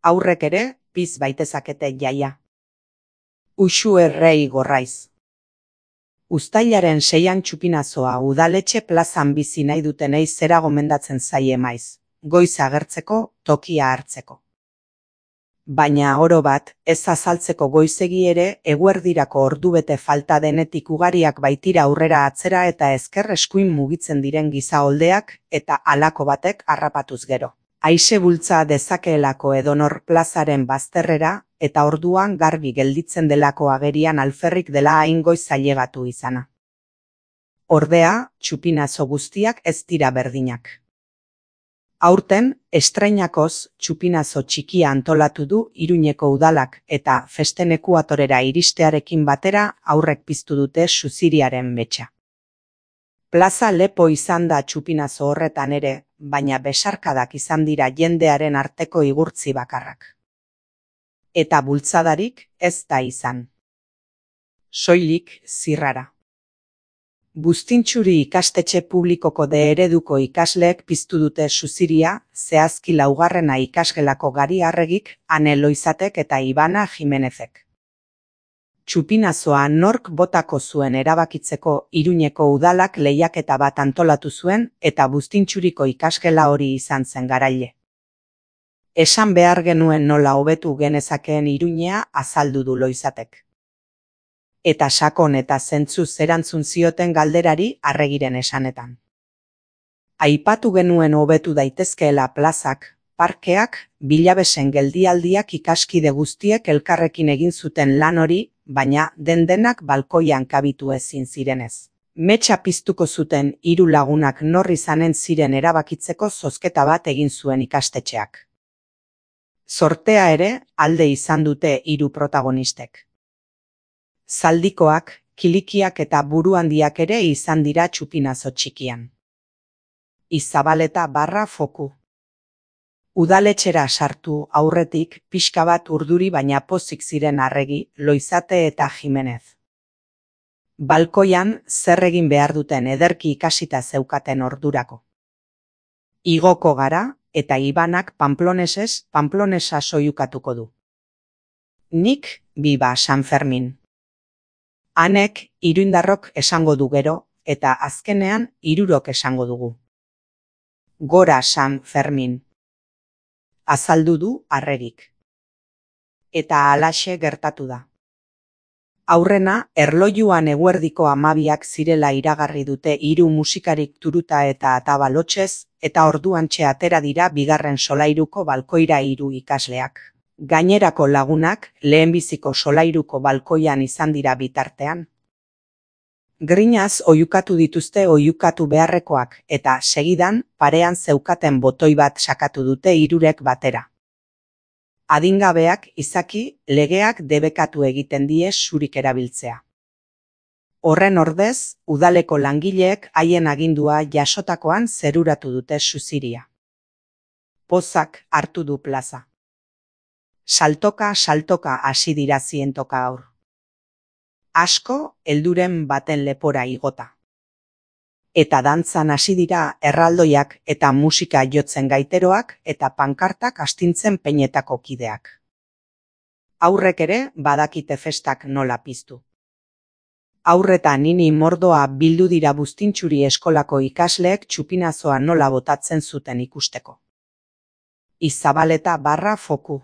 Aurrek ere, piz baitezakete jaia. Uxu errei gorraiz. Uztailaren 6an Txupinazoa udaletxe plazan bizi nahi dutenei zera gomendatzen zaie maiz, goiz agertzeko, tokia hartzeko. Baina oro bat, ez azaltzeko goizegi ere, eguerdirako ordubete falta denetik ugariak baitira aurrera atzera eta ezker eskuin mugitzen diren gizaoldeak eta halako batek harrapatuz gero. Aixe bultza dezakeelako edonor plazaren bazterrera eta orduan garbi gelditzen delako agerian alferrik dela hain goiz ailegatu izana. Ordea, Txupinazo guztiak ez dira berdinak. Aurten, estreinakoz Txupinazo txikia antolatu du Iruñeko udalak eta festen ekuatorera iristearekin batera aurrek piztu dute suziriaren metxa. Plaza lepo izan da Txupinazo horretan ere, baina besarkadak izan dira jendearen arteko igurtzi bakarrak. Eta bultzadarik ez da izan. Soilik zirrara. Buztintxuri ikastetxe publikoko de ereduko ikasleek piztu dute suziria, zehazki 4. ikasgelako Gari Arregik, Ane Loizatek eta Ibana Jimenezek. Txupinazoa nork botako zuen erabakitzeko Iruñeko udalak lehiaketa bat antolatu zuen eta Buztintxuriko ikasgela hori izan zen garaile. Esan behar genuen nola hobetu genezakeen Iruñea azaldu du Loizatek. Eta sakon eta zentzuz erantzun zioten galderari Arregiren esanetan. Aipatu genuen hobetu daitezkeela plazak, parkeak, bilabesen geldialdiak ikaskide guztiek elkarrekin egin zuten lan hori, baina denak balkoian kabitu ezin zirenez. Metxa piztuko zuten 3 lagunak nor izanen ziren erabakitzeko zozketa bat egin zuen ikastetxeak. Sortea ere alde izan dute 3 protagonistek. Zaldikoak, kilikiak eta buruhandiak ere izan dira Txupinazo txikian. Izabaleta barra foku. Udaletxera sartu aurretik pixka bat urduri baina pozik ziren Arregi, Loizate eta Jimenez. Balkoian zer egin behar duten ederki ikasita zeukaten ordurako. Igoko gara eta Ibanak Pamplonesa soilukatuko du. Nik Biba San Fermin. Anek iruindarrok esango du gero, eta azkenean 3 esango dugu. Gora San Fermin. Azaldu du Arregik. Eta halaxe gertatu da. Aurrena, erlojuan eguerdiko 12ak zirela iragarri dute 3 musikarik turuta eta atabalotxez, eta orduantxe atera dira bigarren solairuko balkoira 3 ikasleak. Gainerako lagunak lehenbiziko solairuko balkoian izan dira bitartean. Grinaz oihukatu dituzte oihukatu beharrekoak eta segidan parean zeukaten botoi bat sakatu dute 3ek batera. Adingabeak izaki legeak debekatu egiten die zurik erabiltzea. Horren ordez, udaleko langileek haien agindua jasotakoan zeruratu dute suziria. Pozak hartu du plaza. Saltoka hasi dira zientoka aur. Asko helduren baten lepora igota. Eta dantzan hasi dira erraldoiak eta musika jotzen gaiteroak eta pankartak astintzen peinetako kideak. Aurrek ere badakite festak nola piztu. Aurreta nini mordoa bildu dira Buztintxuri eskolako ikasleek Txupinazoa nola botatzen zuten ikusteko. Izabaleta barra foku.